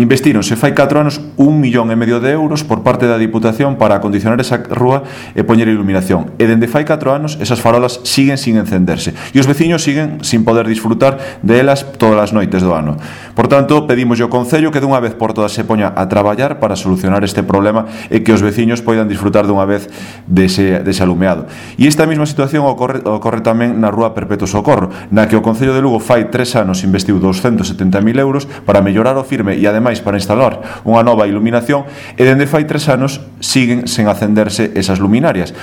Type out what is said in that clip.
Investíronse fai 4 anos 1,5 millón de euros por parte da Diputación para acondicionar esa rúa e poñer iluminación. E dende fai 4 anos esas farolas siguen sin encenderse e os veciños siguen sin poder disfrutar delas todas as noites do ano. Por tanto, pedimos ao Concello que dunha vez por todas se poña a traballar para solucionar este problema e que os veciños poidan disfrutar dunha vez dese alumeado. E esta mesma situación ocorre tamén na rúa Perpetuo Socorro, na que o Concello de Lugo fai 3 anos investiu 270.000 euros para mellorar o firme e ademais para instalar unha nova iluminación e dende fai 3 anos siguen sen acenderse esas luminarias.